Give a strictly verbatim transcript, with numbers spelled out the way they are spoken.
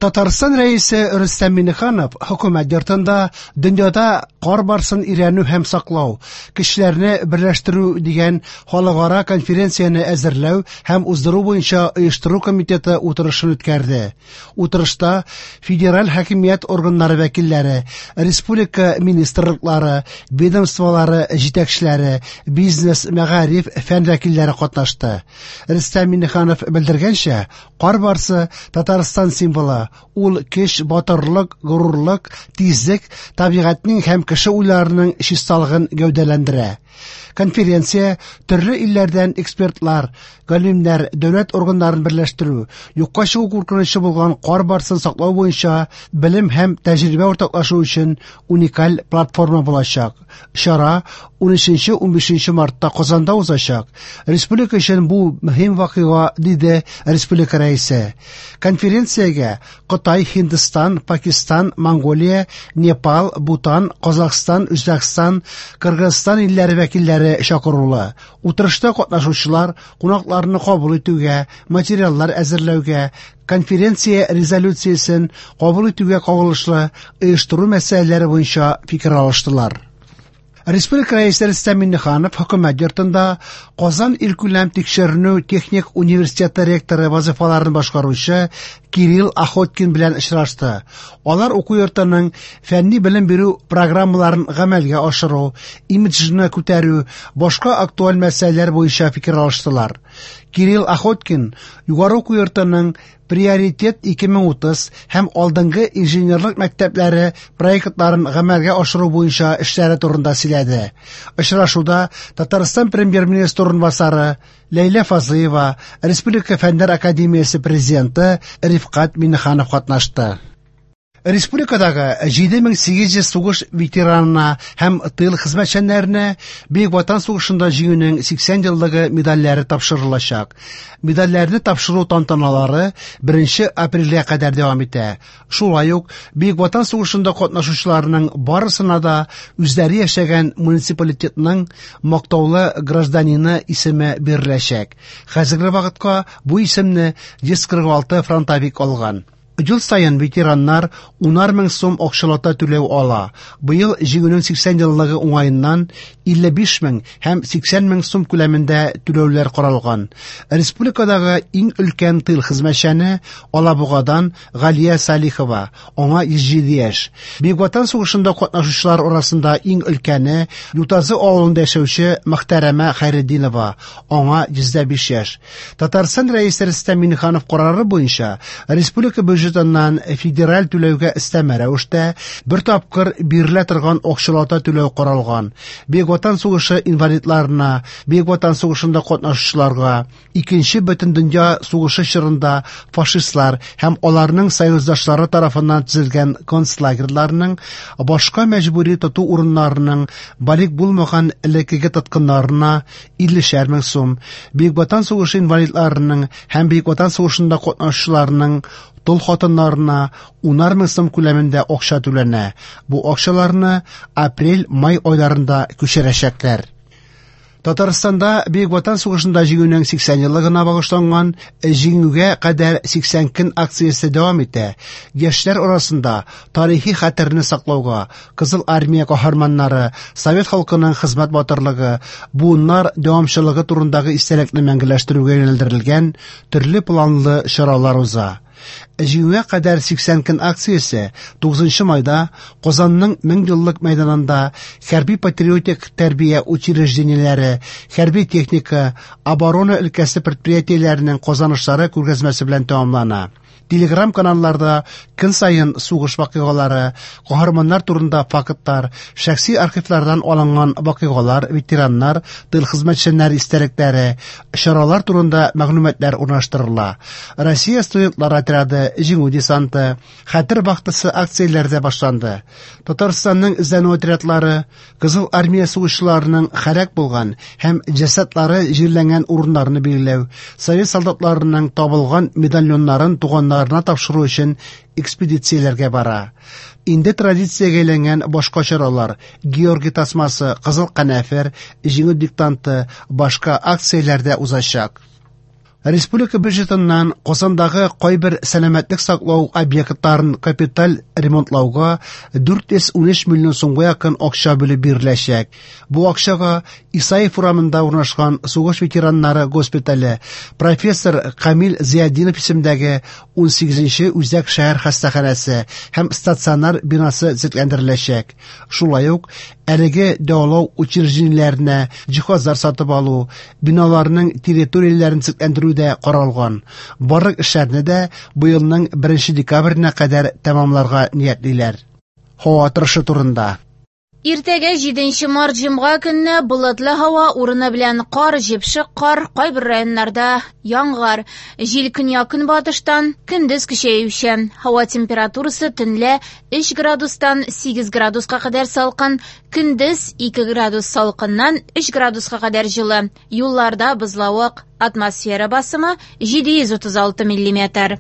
Татарстан Рәисе Рөстәм Миңнеханов Хөкүмәт йортында дөньяда кар барсын өйрәнү һәм саклау, кешеләрне берләштерү дигән халыкара конференцияне әзерләү һәм уздыру буенча оештыру комитеты утырышын үткәрде. Утырышта федераль хакимият органнары вәкилләре, республика министрлыклары, ведомстволары җитәкчеләре, бизнес, мәгариф, фән вәкилләре катнашты. Рөстәм Миңнеханов белдергәнчә, кар барсы Татарстан символы. Ул көч, батырлык, горурлык, тизлек, табигатьнең һәм кеше уйларының чисталыгын гәүдәләндерә. Конференция төрле илләрдән экспертлар, галимнәр, дәүләт органнарын берләштерү, юкка чыгу куркынычы булган кар барсын саклау буенча белем һәм тәҗрибә уртаклашу өчен уникаль платформа булачак. Чара унөченче-унбишенче мартта Казанда узачак. Республика өчен бу мөһим вакыйга, диде республика рәисе. Конференциягә Кытай, Һиндстан, Пакистан, Монголия, Непал, Бутан, Казахстан, Үзбәкстан, Кыргызстан илләре вәкилләре чакырулы. Утырышта катнашучылар кунакларны кабул итүгә, материаллар әзерләүгә, конференция резолюциясен кабул итүгә кагылышлы оештыру мәсьәләләре буенча фикер алыштылар. Республика Рәисе Рөстәм Миңнеханов Хөкүмәт йортында Казан илкүләм тикшеренү техник университеты ректоры вазифаларын башкаручы Кирилл Охоткин белән очрашты. Алар уку йортының фәнни белем бирү программаларын гамәлгә ашыру, имиджны күтәрү, башка актуаль мәсьәләләр буенча фикер алыштылар. Кирилл Охоткин югары уку йортының Приоритет ике мең утыз һәм алдынгы инженерлык мәктәпләре проектларын гамәлгә ашыру буенча эшләре турында сөйләде. Очрашуда Татарстан премьер-министры урынбасары Ләйлә Фазлыева, Республика Фәннәр академиясе президенты Рифкать Миңнеханов катнашты. Республикадагы җиде мең сигез йөз сугыш ветеранына һәм тыл хезмәтчәннәренә Бөек Ватан сугышында җиңүнең сиксән еллыгы медальләре тапшырылачак. Медальләрне тапшыру тантаналары беренче апрельгә кадәр дәвам итә. Шулай ук Бөек Ватан сугышында катнашучыларның барысына да үзләре яшәгән муниципалитетның мактаулы гражданины исеме биреләчәк. Хәзерге вакытка бу исемне йөз кырык алты фронтовик алган. Ел саен ветераннар унар мең сум акчалата түләү ала. Быел җиңүнең сиксән еллыгы уңаеннан илле биш мең һәм сиксән мең сум күләмендә түләүләр каралган. Республикадагы иң өлкән тыл хезмәтчәне Алабугадан Галия Салихова, аңа йөз җиде яшь. Бөек Ватан сугышында катнашучылар арасында иң өлкәне Ютазы авылында яшәүче Мөхтәрәмә Хәйретдинова, аңа йөз дә биш яшь. Татарстан Рәисе Рөстәм Миңнеханов карары буенча республика бюджетыннан федераль түләүгә өстәмә рәвештә бер тапкыр бирелә торган акчалата түләү каралган. Бөек Ватан сугышы инвалидларына, Бөек Ватан сугышында катнашучыларга, Икенче Бөтендөнья сугышы чорында фашистлар һәм аларның союздашлары тарафыннан төзелгән концлагерьларның, башка мәҗбүри тоту урыннарының балигъ булмаган элеккеге тоткыннарына иллешәр мең сум, Бөек Ватан сугышы инвалидларының һәм Бөек Ватан сугышында катнашучыларның тол хатыннарына унар мең сум күләмендә акча түләнә. Бу акчаларны апрель-май айларында күчерәчәкләр. Татарстанда Бөек Ватан сугышында җиңүнең сиксән еллыгына багышланган Җиңүгә кадәр сиксән көн акциясе дәвам итә. Яшьләр арасында тарихи хәтерне саклауга, Кызыл армия каһарманнары, совет халкының хезмәт батырлыгы, буыннар дәвамчылыгы турындагы истәлекне мәңгеләштерүгә юнәлдерелгән төрле планлы чаралар уза. Җиңүгә кадәр сиксән көн акциясе тугызынчы майда Казанның мең еллык мәйданында хәрби патриотик тәрбия учреждениеләре, хәрби техника, оборона өлкәсе предприятиеләренең казанышлары күргәзмәсе белән тәмамлана. Телеграм каналларда көн саен сугыш вакыйгалары, каһарманнар турында фактлар, шәхси архивлардан алынган вакыйгалар, ветераннар, тыл хезмәтчәннәре истәлекләре, чаралар турында мәгълүматлар урнаштырыла. Россия студентлар отряды, Җиңү десанты, Хәтер вахтасы акцияләре дә башланды. Татарстанның эзләнү отрядлары Кызыл армия сугышчыларының һәлак булган һәм җәсәдләре җирләнгән урыннарны билгеләү, совет солдатларының табылган медальоннарын туганнарына тапшыру өчен экспедицияләргә бара. Инде традициягә әйләнгән башка чаралар, Георгий тасмасы, Кызыл канәфер, Җиңү диктанты, башка акцияләрдә узачак. Республика бюджетыннан Казандагы кайбер сәламәтлек саклау объектларын капиталь ремонтлауга дүрт йөз унөч миллион сумга якын акча бүлеп биреләчәк. Бу акчага Исаев урамында урнашкан сугыш ветераннары госпитале, профессор Камил Зиятдинов исемендәге унсигезенче үзәк шәһәр хастаханәсе һәм стационар бинасы төзекләндереләчәк. Шулай ук әлеге дәвалау учреждениеләренә җиһазлар сатып алу, биналарның территорияләрен төзекләндерү дә каралган. Барлык эшләрне дә быелның беренче декабренә кадәр тәмамларга ниятлиләр. Һава торышы турында. Иртәгә җиденче март җомга көнне болытлы һава, урыны белән кар, җепшек кар, кайбер районнарда яңгыр. Җил көньяк-көнбатыштан, көндез көчәючән. Һава температурасы төнлә өч градустан сигез градуска кадәр салкын, көндез ике градус салкыннан өч градуска кадәр җылы. Юлларда бозлавык. Атмосфера басымы җиде йөз утыз алты миллиметр.